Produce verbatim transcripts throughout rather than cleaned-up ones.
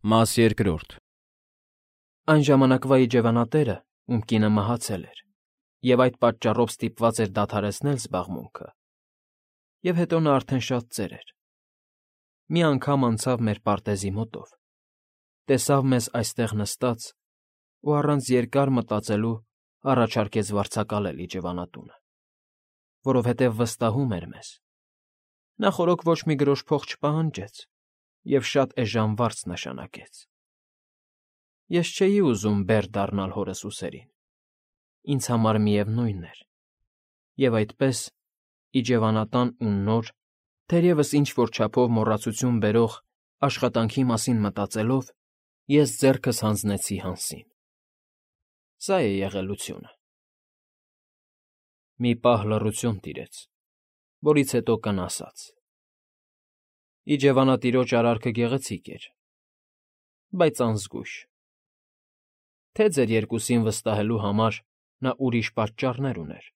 Մաս երկրորդ Այն ժամանակվա իջևանատերը, ում կինը մահացել էր, և այդ պատճառով ստիպված էր դադարեցնել զբաղմունքը, և հետո նա արդեն շատ ծեր էր, մի անգամ անցավ մեր պարտեզի մոտով, տեսավ մեզ այստեղ նստած ու առանց երկար մտածելու առաջարկեց վարձակալել իջևանատունը, որովհետև վստահում էր մեզ. նա խորոք ոչ մի գրոշ փող չպահանջեց և շատ էժան վարձ նշանակեց։ Ես չէի ուզում բեռ դառնալ հորս ուսերին, ինձ համար միևնույն էր, և այդպես, իջևանատան ու նոր, թերևս ինչ֊որ չափով մոռացություն բերող աշխատանքի մասին մտածելով, ես ձեռքս հանձնեցի Հանսին։ Սա է եղելությունը։ Մի պահ լռություն տիրեց, որից հետո կն ասաց. Իջևանատիրոջ արարքը գեղեցիկ էր, բայց անզգույշ, թե ձեր երկուսին վստահելու համար նա ուրիշ պատճառներ ուներ։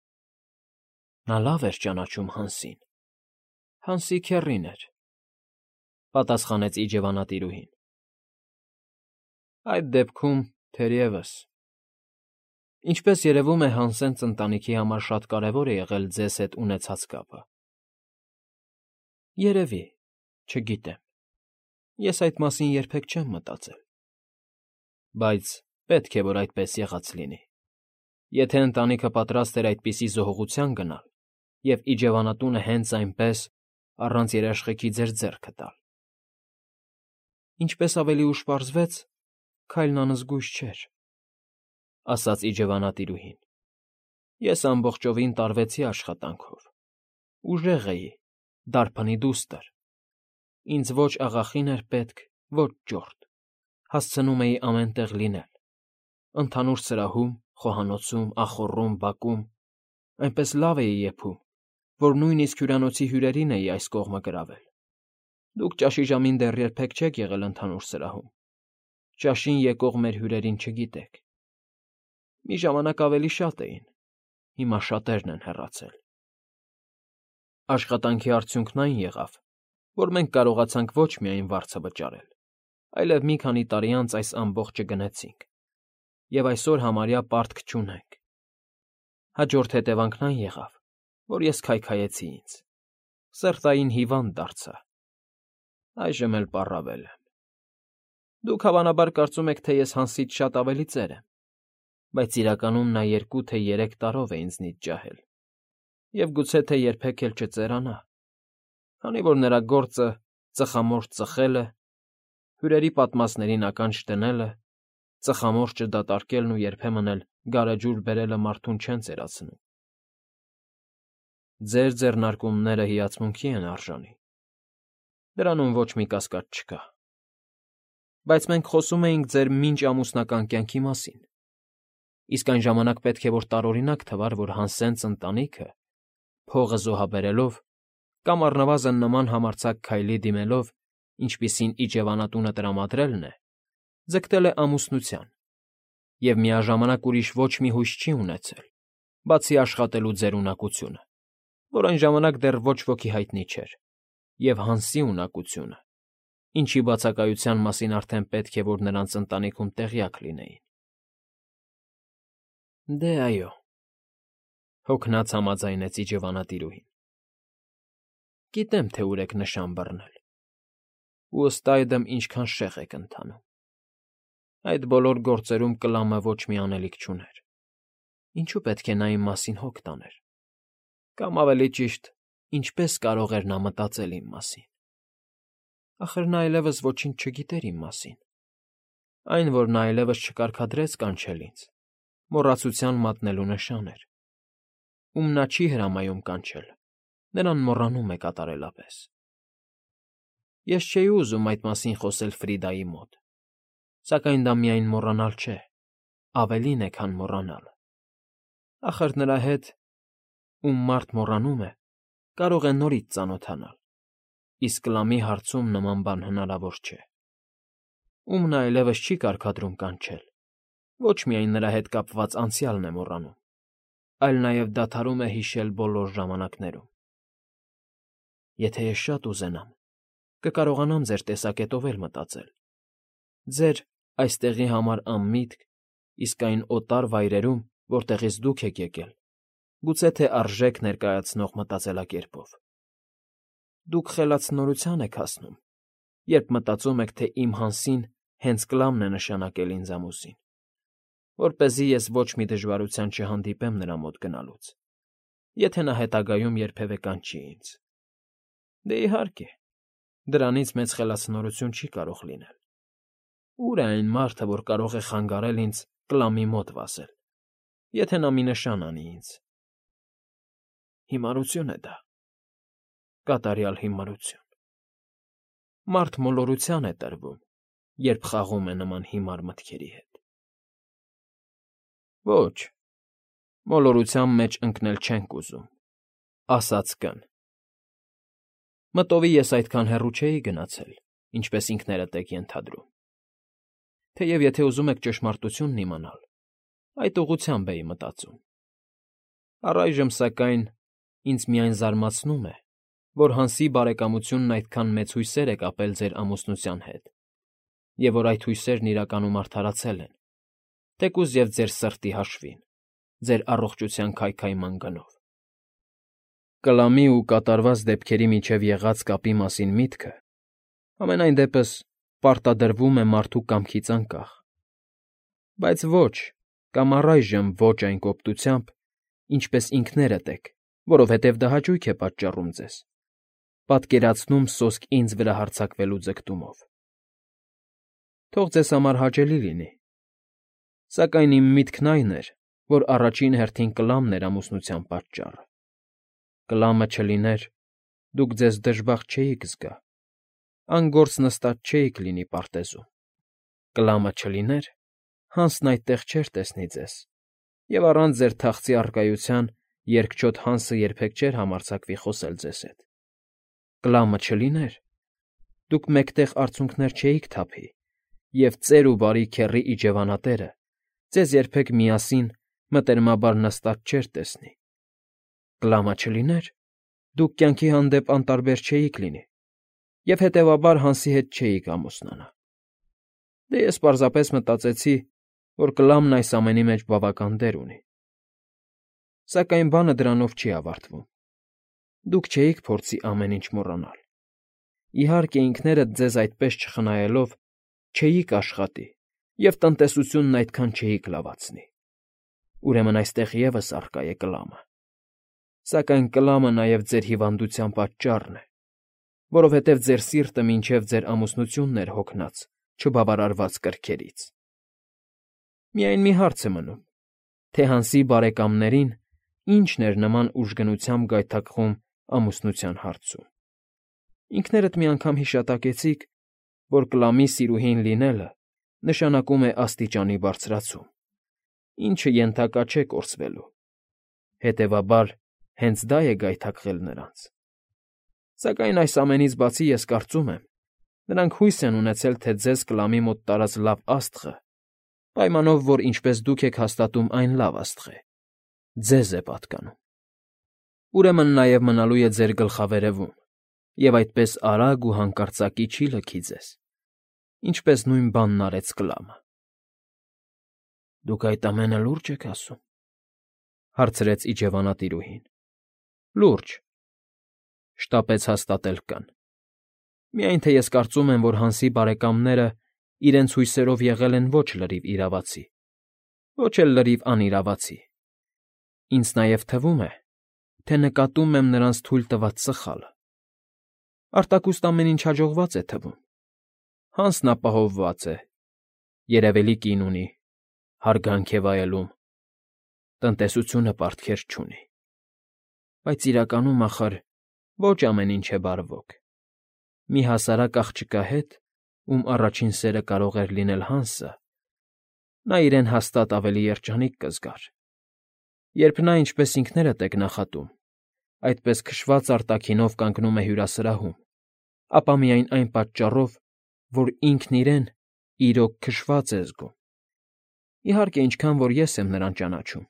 Նա լավ էր ճանաչում Հանսին, Հանսի քեռին էր, պատասխանեց իջևանատիրուհին։ Այդ դեպքում, թերևս, ինչպես երևում է, Հանսենց ընտանիքի համար շատ կարևոր է եղել ձեզ հետ ունեցած կապը։ Երևի, չգիտեմ, ես այդ մասին երբեք չեմ մտածել։ Բայց պետք է, որ այդպես եղած լինի, եթե ընտանիքը պատրաստ էր այդպիսի զոհողության գնալ և իջևանատունը հենց այնպես, առանց երաշխիքի ձեր ձեռքը տալ։ Ինչպես ավելի ուշ պարզվեց, քայլն անզգույշ չէր, ասաց իջևանատիրուհին։ Ես ամբողջովին տարվեցի աշխատանքով, ուժեղ էի, դարբնի դուստր, ինձ ոչ աղախին էր պետք, ոչ ճորտ, հասցնում էի ամեն տեղ լինել, ընդհանուր սրահում, խոհանոցում, ախոռում, բակում, այնպես լավ էի եփում, որ նույնիսկ հյուրանոցի հյուրերին էի այս կողմը գրավել։ Դուք ճաշի ժամին դեռ երբեք չեք եղել ընդհանուր սրահում, ճաշին եկող մեր հյուրերին չգիտեք։ Մի ժամանակ ավելի շատ էին, հիմա շատերն են հեռացել։ Աշխատանքի արդյունքն այն եղավ, որ մենք կարողացանք ոչ միայն վարձը վճարել, այլև մի քանի տարի անց այս ամբողջը գնեցինք, և այսօր համարյա պարտք չունենք։ Հաջորդ հետևանքն այն եղավ, որ ես քայքայեցի ինձ, սրտային հիվանդ դարձա, այժմ էլ պառավել եմ։ Դուք հավանաբար կարծում եք, թե ես Հանսից շատ ավելի ծեր եմ, բայց իրականում նա երկու թե երեք տարով է ինձնից ջահել, և գուցե թե երբեք էլ չծերանա, քանի որ նրա գործը ծխամորճ ծխելը, հյուրերի պատմածներին ականջ դնելը, ծխամորճը դատարկելն ու երբեմն էլ գարեջուր բերելը մարդուն չեն ծերացնում։ Ձեր ձեռնարկումները հիացմունքի են արժանի, դրանում ոչ մի կասկած չկա։ Բայց մենք խոսում էինք ձեր մինչ ամուսնական կյանքի մասին, իսկ այն ժամանակ պետք է որ տարօրինակ թվար, որ Հանսենց ընտանիքը, փողը զոհաբերելով կամ առնվազն նման համարձակ քայլի դիմելով, ինչպիսին իջևանատունը տրամադրելն է, ձգտել է ամուսնության և միաժամանակ ուրիշ ոչ մի հույս չի ունեցել, բացի աշխատելու ձեր ունակությունը, որ այն ժամանակ դեռ ոչ ոքի հայտնի չէր, և Հանսի ունակությունը, ինչի բացակայության մասին արդեն պետք է, որ նրանց ընտանիքում տեղյակ լինեին։ Դե, այո, հոգնած համաձայնեց իջևանատիրուհին։ Գիտեմ, թե ուր եք նշան բռնել, ու ըստ այդմ ինչքան շեղ եք ընթանում։ Այդ բոլոր գործերում Կլամը ոչ մի անելիք չուներ, ինչու պետք է նա իմ մասին հոգ տաներ, կամ ավելի ճիշտ, ինչպես կարող էր նա մտածել իմ մասին։ Ախր նա այլևս ոչինչ չգիտեր իմ մասին, այն, որ նա այլևս չկարգադրեց կանչել ինձ, մոռացության մատնելու նշան էր, ում նա չի հրամայում կանչել, նրան մոռանում է կատարելապես։ Ես չէի ուզում այդ մասին խոսել Ֆրիդայի մոտ, սակայն դա միայն մոռանալ չէ, ավելին է, քան մոռանալը։ Ախր նրա հետ, ում մարդ մոռանում է, կարող է նորից ծանոթանալ, իսկ Կլամի հարցում նման բան հնարավոր չէ։ Ում նա այլևս չի կարգադրում կանչել, ոչ միայն նրա հետ կապված անցյալն է մոռանում, այլ նաև դադարում է հիշել բոլոր ժամանակներում։ Եթե ես շատ ուզենամ, կկարողանամ ձեր տեսակետով էլ մտածել, Ձեր այստեղի համար անմիտք, իսկ այն օտար վայրերում, որտեղից դուք եք եկել, գուցե թե արժեք ներկայացնող մտածելակերպով։ Դուք խելացնորության եք հասնում, երբ մտածում եք, թե իմ Հանսին հենց Կլամն է նշանակել ինձ ամուսին, որպեսզի ես ոչ մի դժվարության չհանդիպեմ նրա մոտ գնալուց, եթե նա հետագայում երբևէ կանչի ինձ։ Դե իհարկե, դրանից մեծ խելացնորություն չի կարող լինել։ Ո՞ւր է այն մարդը, որ կարող է խանգարել ինձ Կլամի մոտ վազել, եթե նա մի նշան անի ինձ։ Հիմարություն է դա, կատարյալ հիմարություն։ Մարդ մոլորության է տրվում, երբ խաղում է նման հիմար մտքերի հետ։ Ոչ, մոլորության մեջ ընկնել չենք ուզում, ասաց Կ֊ն։ Մտովի ես այդքան հեռու չէի գնացել, ինչպես ինքներդ եք ենթադրում։ Թեև եթե ուզում եք ճշմարտությունն իմանալ, այդ ուղղությամբ էի մտածում։ Առայժմ, սակայն, ինձ միայն զարմացնում է, որ Հանսի բարեկամությունն այդքան մեծ հույսեր է կապել ձեր ամուսնության հետ, և որ այդ հույսերն իրականում արդարացել են, թեկուզ և ձեր սրտի հաշվին, ձեր առողջության քայքայման գնով։ Կլամի ու կատարված դեպքերի միջև եղած կապի մասին միտքը, համենայն դեպս, պարտադրվում է մարդու կամքից անկախ, բայց ոչ, կամ առայժմ ոչ այն կոպտությամբ, ինչպես ինքներդ եք, որովհետև դա հաճույք է պատճառում ձեզ, պատկերացնում սոսկ ինձ վրա հարձակվելու ձգտումով։ Թող ձեզ համար հաճելի լինի, սակայն իմ միտքն այն էր, որ առաջին հերթին Կլամն էր ամուսնության պատճառը։ Կլամը չլիներ, դուք ձեզ դժբախտ չէիք զգա, անգործ նստած չէիք լինի պարտեզում։ Կլամը չլիներ, Հանսն այդտեղ չէր տեսնի ձեզ, և առանց ձեր թախծի առկայության երկչոտ Հանսը երբեք չէր համարձակվի խոսել ձեզ հետ։ Կլամը չլիներ, դուք մեկտեղ արցունքներ չէիք թափի, և ծեր ու բարի քեռի իջևանատերը ձեզ երբեք միասին մտերմաբար նստած չէր տեսնի։ Կլամը չլիներ, դուք կյանքի հանդեպ անտարբեր չէիք լինի, և հետևաբար Հանսի հետ չէիք ամուսնանա։ Դե ես պարզապես մտածեցի, որ Կլամն այս ամենի մեջ բավական դեր ունի։ Սակայն բանը դրանով չի ավարտվում։ Դուք չէիք փորձի ամեն ինչ մոռանալ։ Իհարկե, ինքներդ ձեզ այդպես չխնայելով չէիք աշխատի և տնտեսությունն այդքան չէիք լավացնի։ Ուրեմն այստեղ ևս առկա է Կլամը։ Սակայն Կլամը նաև ձեր հիվանդության պատճառն է, որովհետև ձեր սիրտը մինչև ձեր ամուսնությունն էր հոգնած չբավարարված կրքերից։ Միայն մի հարց է մնում, թե Հանսի բարեկամներին ինչն էր նման ուժգնությամբ գայթակղում ամուսնության հարցում։ Ինքներդ մի անգամ հիշատակեցիք, որ Կլամի սիրուհին լինելը նշանակում է աստիճանի բարձրացում, ինչը ենթակա չէ կորսվելու։ Հետևաբար, հենց դա է գայթակղել նրանց։ Սակայն այս ամենից բացի ես կարծում եմ, նրանք հույս են ունեցել, թե ձեզ Կլամի մոտ տարած լավ աստղը, պայմանով, որ ինչպես դուք եք հաստատում այն լավ աստղ է, ձեզ է պատկանում։ Ուրեմն նաև մնալու է ձեր գլխավերևում, և այդպես արագ ու հանկարծակի չի լքի ձեզ, ինչպես նույն բանն արեց Կլամը։ ֊ Դուք այդ ամենը լո՞ւրջ եք ասում,֊ հարցրեց իջևանատիրուհին։ ֊ Լուրջ,֊ շտապեց հաստատել Կ֊ն։ Միայն թե ես կարծում եմ, որ Հանսի բարեկամները իրենց հույսերով եղել են ոչ լրիվ իրավացի, ոչ էլ լրիվ անիրավացի։ Ինձ նաև թվում է, թե նկատում եմ նրանց թույլ տված սխալը։ Արտաքուստ ամեն ինչ հաջողված է թվում. Հանսն ապահովված է, երևելի կին ունի, հարգանք է վայելում, տնտեսությունը պարտքեր չունի։ Բայց իրականում, ախր, ոչ ամեն ինչ է բարվոք։ Մի հասարակ աղջկա հետ, ում առաջին սերը կարող էր լինել Հանսը, նա իրեն հաստատ ավելի երջանիկ կզգար։ Երբ նա, ինչպես ինքներդ եք նախատում, այդպես քշված արտաքինով կանգնում է հյուրասրահում, ապա միայն այն պատճառով, որ ինքն իրեն իրոք քշված է զգում։ Իհարկե, ինչքան որ ես եմ նրան ճանաչում,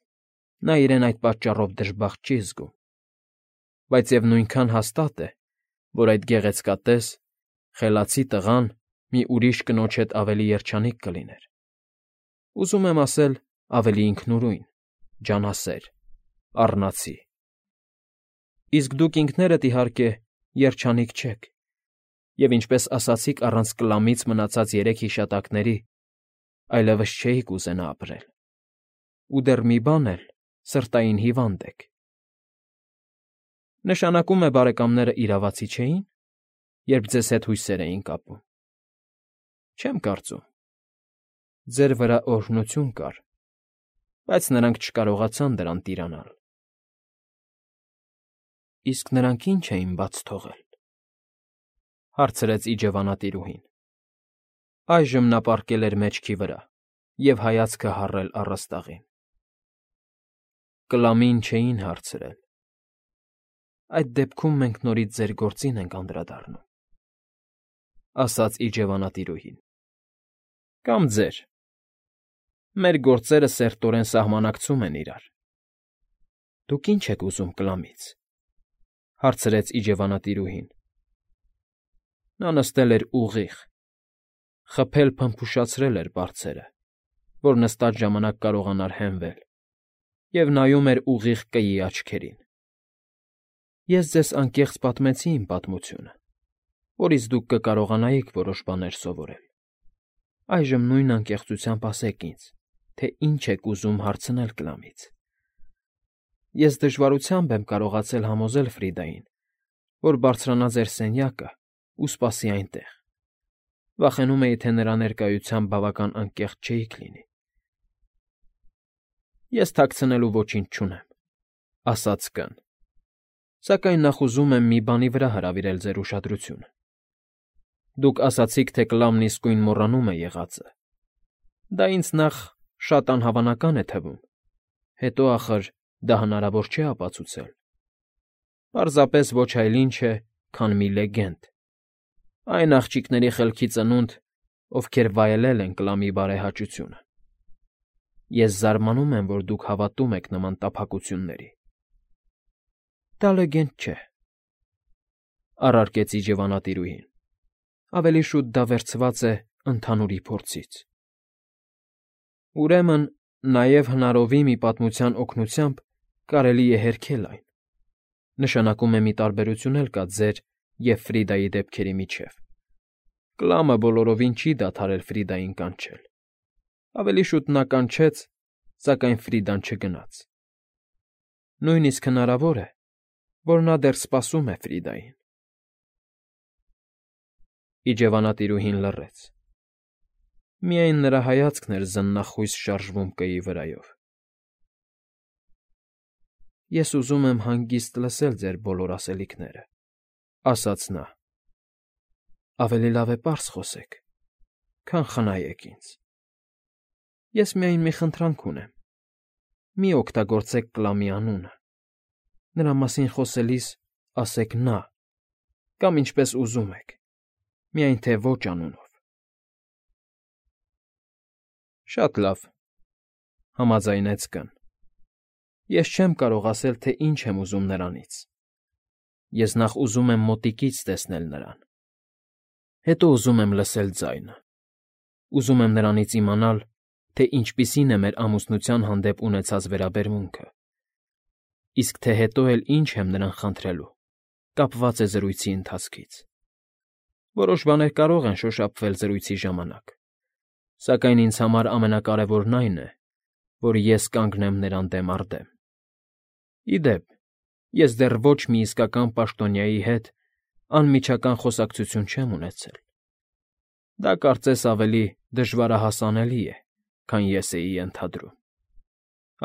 նա իրեն այդ պատճառով դժբախտ չի զգում։ Բայց և նույնքան հաստատ է, որ այդ գեղեցկատես, խելացի տղան մի ուրիշ կնոջ հետ ավելի երջանիկ կլիներ։ Ուզում եմ ասել, ավելի ինքնուրույն, ջանասեր, առնացի։ Իսկ դուք ինքներդ, իհարկե, երջանիկ չեք, և ինչպես ասացիք առանց կլամից մնացած երեք հիշատակների, այլևս չէիք ուզենա ապրել, ու դեռ մի բան էլ, սրտային հիվանդ եք։ Նշանակում է բարեկամները իրավացի չէի՞ն, երբ ձեզ հետ հույսեր էին կապում։ Չեմ կարծում։ Ձեր վրա օրհնություն կար, բայց նրանք չկարողացան դրան տիրանալ։ Իսկ նրանք ի՞նչ էին բաց թողել,֊ հարցրեց իջևանատիրուհին։ Այժմ նա պառկել էր մեջքի վրա և հայացքը հառել առաստաղին։ Կլամին չէին հարցրել։ Այդ դեպքում մենք նորից ձեր գործին ենք անդրադառնում,֊ ասաց իջևանատիրուհին։ Կամ ձեր։ Մեր գործերը սերտորեն սահմանակցում են իրար։ Դուք ի՞նչ եք ուզում կլամից,֊ հարցրեց իջևանատիրուհին։ Նա նստել էր ուղիղ, խփել փմփուշացրել էր բարձերը, որ նստած ժամանակ կարողանար հենվել, և նայում էր ուղիղ կգի աչքերին։ Ես ձեզ անկեղծ պատմեցի իմ պատմությունը, որից դուք կկարողանայիք որոշ բաներ սովորել։ Այժմ նույն անկեղծությամբ ասեք ինձ, թե ինչ եք ուզում հարցնել կլամից։ Ես դժվարությամբ եմ կարողացել համոզել Ֆրիդային, որ բարձրանա ձեր սենյակը ու սպասի այնտեղ։ Վախենում էի, թե նրա ներկայությամբ բավական անկեղծ չէիք լինի։ Ես թաքցնելու ոչինչ չունեմ,֊ ասաց կն, սակայն նախ ուզում եմ մի բանի վրա հրավիրել ձեր ուշադրությունը։ Դուք ասացիք, թե կլամն իսկույն մոռանում է եղածը։ Դա ինձ նախ շատ անհավանական է թվում, հետո, ախր, դա հնարավոր չէ ապացուցել։ Պարզապես ոչ այլ ինչ է, քան մի լեգենդ, այն աղջիկների խելքի ծնունդ, ովքեր վայելել են կլամի բարեհաճությունը։ Ես զարմանում եմ, որ դուք հավատում եք նման տափակությունների։ Դա լեգենդ չէ,֊ առարկեց իջևանատիրուհին։ Ավելի շուտ դա վերցված է ընդհանուրի փորձից։ Ուրեմն, նաև հնարովի մի պատմության օգնությամբ կարելի է հերքել այն։ Նշանակում է մի տարբերություն էլ կա ձեր և Ֆրիդայի դեպքերի միջև։ Կլամը բոլորովին չի դադարել Ֆրիդային կանչել։ Ավելի շուտ նա կանչեց, սակայն Ֆրիդան չգնաց։ Նույնիսկ հնարավոր է, որ նա դեռ սպասում է Ֆրիդային։ Իջևանատիրուհին լռեց։ Միայն նրա հայացքն էր զննախույս շարժվում կգի վրայով։ Ես ուզում եմ հանգիստ լսել ձեր բոլոր ասելիքները,֊ ասաց նա։ Ավելի լավ է պարզ խոսեք, քան խնայեք ինձ։ Ես միայն մի խնդրանք ունեմ. մի օգտագործեք կլամի անունը։ Նրա մասին խոսելիս ասեք նա, կամ ինչպես ուզում եք, միայն թե ոչ անունով։ Շատ լավ,֊ համաձայնեց կն։ Ես չեմ կարող ասել, թե ինչ եմ ուզում նրանից։ Ես նախ ուզում եմ մոտիկից տեսնել նրան, հետո ուզում եմ լսել ձայնը։ Ուզում եմ նրանից իմանալ, թե ինչպիսին է մեր ամուսնության հանդեպ ունեցած վերաբերմունքը։ Իսկ թե հետո էլ ինչ եմ նրան խնդրելու, կապված է զրույցի ընթացքից։ Որոշ բաներ կարող են շոշափվել զրույցի ժամանակ, սակայն ինձ համար ամենակարևորն այն է, որ ես կանգնեմ նրան դեմ առ դեմ։ Ի դեպ, ես դեռ ոչ մի իսկական պաշտոնյայի հետ անմիջական խոսակցություն չեմ ունեցել։ Դա կարծես ավելի դժվարահասանելի է, քան ես էի ենթադրում։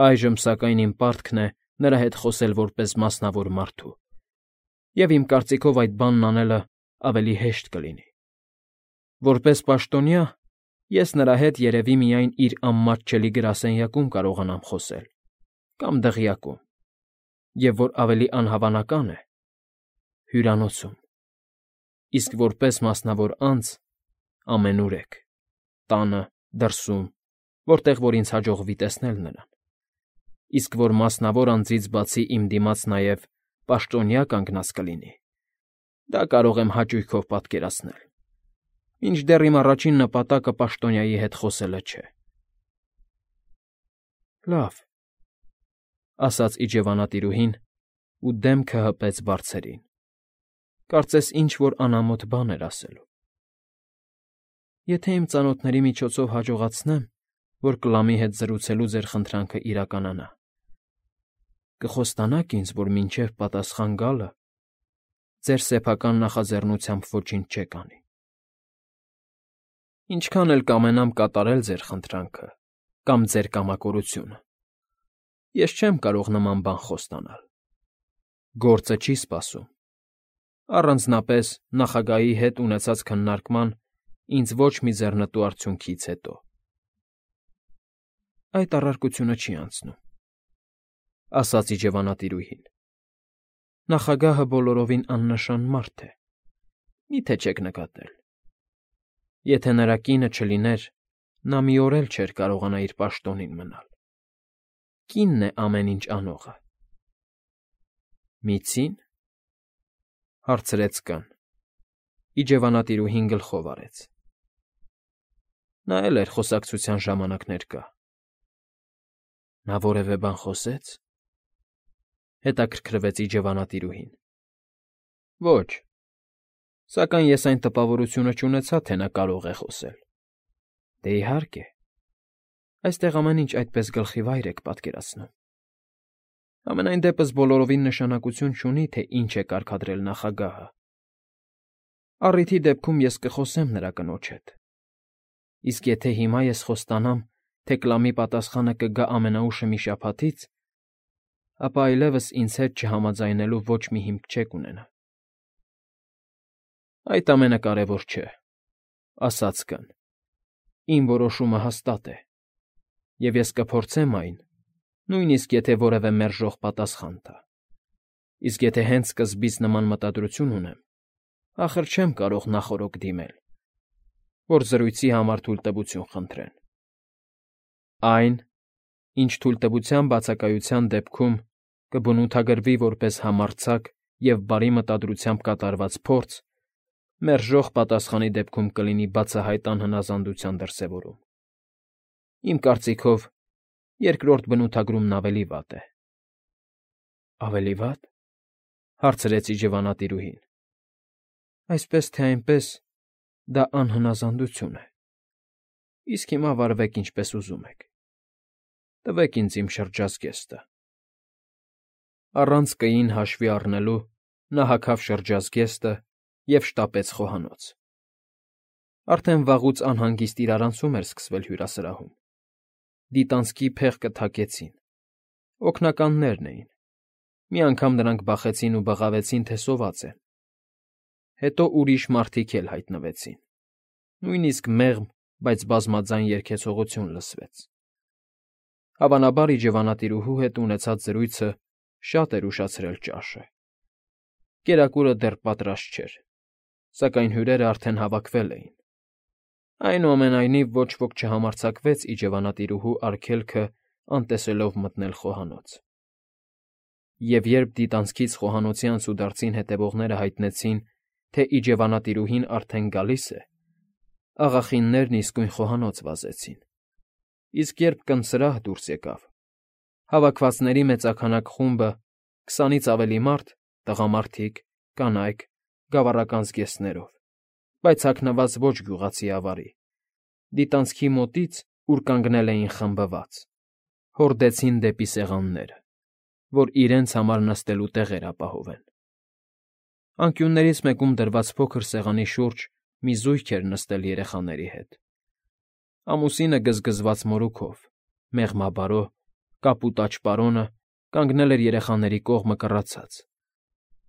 Այժմ, սակայն, իմ պարտքն է նրա հետ խոսել որպես մասնավոր մարդու, և իմ կարծիքով այդ բանն անելը ավելի հեշտ կլինի։ Որպես պաշտոնյա, ես նրա հետ երևի միայն իր անմատչելի գրասենյակում կարողանամ խոսել, կամ դղյակում, և որ ավելի անհավանական է, հյուրանոցում, իսկ որպես մասնավոր անձ ամենուր եք, տանը, դրսում, որտեղ որ ինձ հաջողվի տեսնել նրան, իսկ որ մասնավոր անձից բացի իմ դիմաց նաև պաշտոնյա կանգնած կլինի, դա կարող եմ հաճույքով պատկերացնել։ Մինչդեռ իմ առաջին նպատակը պաշտոնյայի հետ խոսելը չէ։ ֊ Լավ,֊ ասաց իջևանատիրուհին ու դեմքը հպեց բարձրին, կարծես ինչ֊որ անամոթ բան էր ասելու։ ֊ Եթե իմ ծանոթների միջոցով հաջողացնեմ, որ Կլամի հետ զրուցելու ձեր խնդրանքը իրականանա, կխոստանա՞ք ինձ, որ մինչև պատասխան գալը ձեր սեփական նախաձեռնությամբ ոչինչ չեք անի։ Ինչքան էլ կամենամ կատարել ձեր խնդրանքը կամ ձեր կամակորությունը, ես չեմ կարող նման բան խոստանալ։ Գործը չի սպասում, առանձնապես նախագահի հետ ունեցած քննարկման ինձ ոչ մի ձեռնտու արդյունքից հետո։ Այդ առարկությունը չի անցնում,֊ ասաց իջևանատիրուհին։ Նախագահը բոլորովին աննշան մարդ է, մի՞թե չեք նկատել։ Եթե նրա կինը չլիներ, նա մի օր էլ չէր կարողանա իր պաշտոնին մնալ։ Կինն է ամեն ինչ անողը։ ֊ Միցի՞ն,֊ հարցրեց կն. իջևանատիրուհին գլխով արեց։ Նա էլ էր խոսակցության ժամանակ ներկա։ Նա որևէ բան խոսե՞ց,֊ հետաքրքրվեց իջևանատիրուհին։ Ոչ, սակայն ես այն տպավորությունը չունեցա, թե նա կարող է խոսել։ Դե իհարկե, այստեղ ամեն ինչ այդպես գլխիվայր եք պատկերացնում։ Համենայն դեպս բոլորովին նշանակություն չունի, թե ինչ է կարգադրել նախագահը։ Առիթի դեպքում ես կխոսեմ նրա կնոջ հետ։ Իսկ եթե հիմա ես խոստանամ, թե Կլամի պատասխանը կգա ամենաուշը մի շաբաթից, ապա այլևս ինձ հետ չհամաձայնելու ոչ մի հիմք չեք ունենա։ Այդ ամենակարևոր չէ,֊ ասաց կն. Իմ որոշումը հաստատ է, և ես կփորձեմ այն, նույնիսկ եթե որևէ մերժող պատասխան տա։ Իսկ եթե հենց սկզբից նման մտադրություն ունեմ, ախր չեմ կարող նախօրոք դիմել, որ զրույցի համար թույլտվություն խնդրեն։ Այն, ինչ թույլտվության բացակայության դեպքում կբնութագրվի որպես համարձակ և բարի մտադրությամբ կատարված փորձ, մերժող պատասխանի դեպքում կլինի բացահայտ անհնազանդության դրսևորում։ Իմ կարծիքով, երկրորդ բնութագրումն ավելի վատ է։ ֊ Ավելի վա՞տ,֊ հարցրեց իջևանատիրուհին։ Այսպես թե այնպես, դա անհնազանդություն է։ Իսկ հիմա վարվեք ինչպես ուզում եք։ Տվեք ինձ իմ շրջազգեստը։ Առանց կին հաշվի առնելու նա հագավ շրջազգեստը և շտապեց խոհանոց։ Արդեն վաղուց անհանգիստ իրարանցում էր սկսվել հյուրասրահում։ Դիտանցքի փեղկը թակեցին։ Օգնականներն էին։ Մի անգամ նրանք բախեցին ու բղավեցին, թե սոված է։ Հետո ուրիշ մարդիկ էլ հայտնվեցին։ Նույնիսկ մեղմ, բայց բազմաձայն երգեցողություն լսվեց։ Հավանաբար իջևանատիրուհու հետ ունեցած զրույցը շատ էր ուշացրել ճաշը։ Կերակուրը դեռ պատրաստ չէր, սակայն հյուրերն արդեն հավաքվել էին։ Այնուամենայնիվ ոչ ոք չհամարձակվեց իջևանատիրուհու արգելքը անտեսելով մտնել խոհանոց։ Եվ երբ դիտանցքից խոհանոցի անցուդարձին հետևողները հայտնեցին, թե իջևանատիրուհին արդեն գալիս է, աղախիններն իսկույն խոհանոց վազեցին։ Իսկ երբ կնսրահ դուրս եկավ, հավաքվածների մեծաքանակ խումբը, քսանից ավելի մարդ, տղամարդիկ, կանայք, գավառական զգեստներով, բայց հագնված ոչ գյուղացի ավարի, դիտանցքի մոտից, ուր կանգնել էին խմբված, հորդեցին դեպի սեղանները, որ իրենց համար նստելու տեղեր ապահովեն։ Անկյուններից մեկում դրված փոքր սեղանի շուրջ մի զույգ էր նստել երեխաների հետ։ Ամուսինը գզգզված մորուքով, մեղմաբարո, կապուտաչ պարոնը կանգնել էր երեխաների կողմը կռացած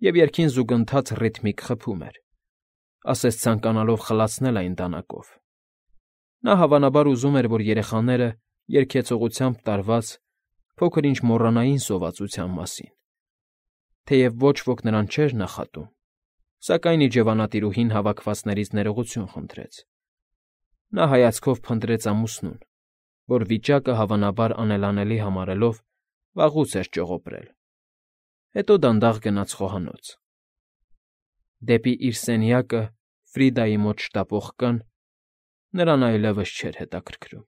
և երգին զուգընթաց ռիթմիկ խփում էր, ասես ցանկանալով խլացնել այն դանակով։ Նա հավանաբար ուզում էր, որ երեխաները երգեցողությամբ տարված փոքր-ինչ մոռանային սովածության մասին։ Թեև ոչ ոք նրան չէր նախատում, սակայն իջևանատիրուհին հավաքվածներից ներողություն խնդրեց։ Նա հայացքով փնտրեց ամուսնուն, որ վիճակը հավանաբար անելանելի համարելով վաղուց էր ճողոպրել։ Հետո դանդաղ գնաց խոհանոց։ Դեպի իր սենյակը Ֆրիդայի մոտ շտապող կան նրան այլևս չէր հետաքրքրում։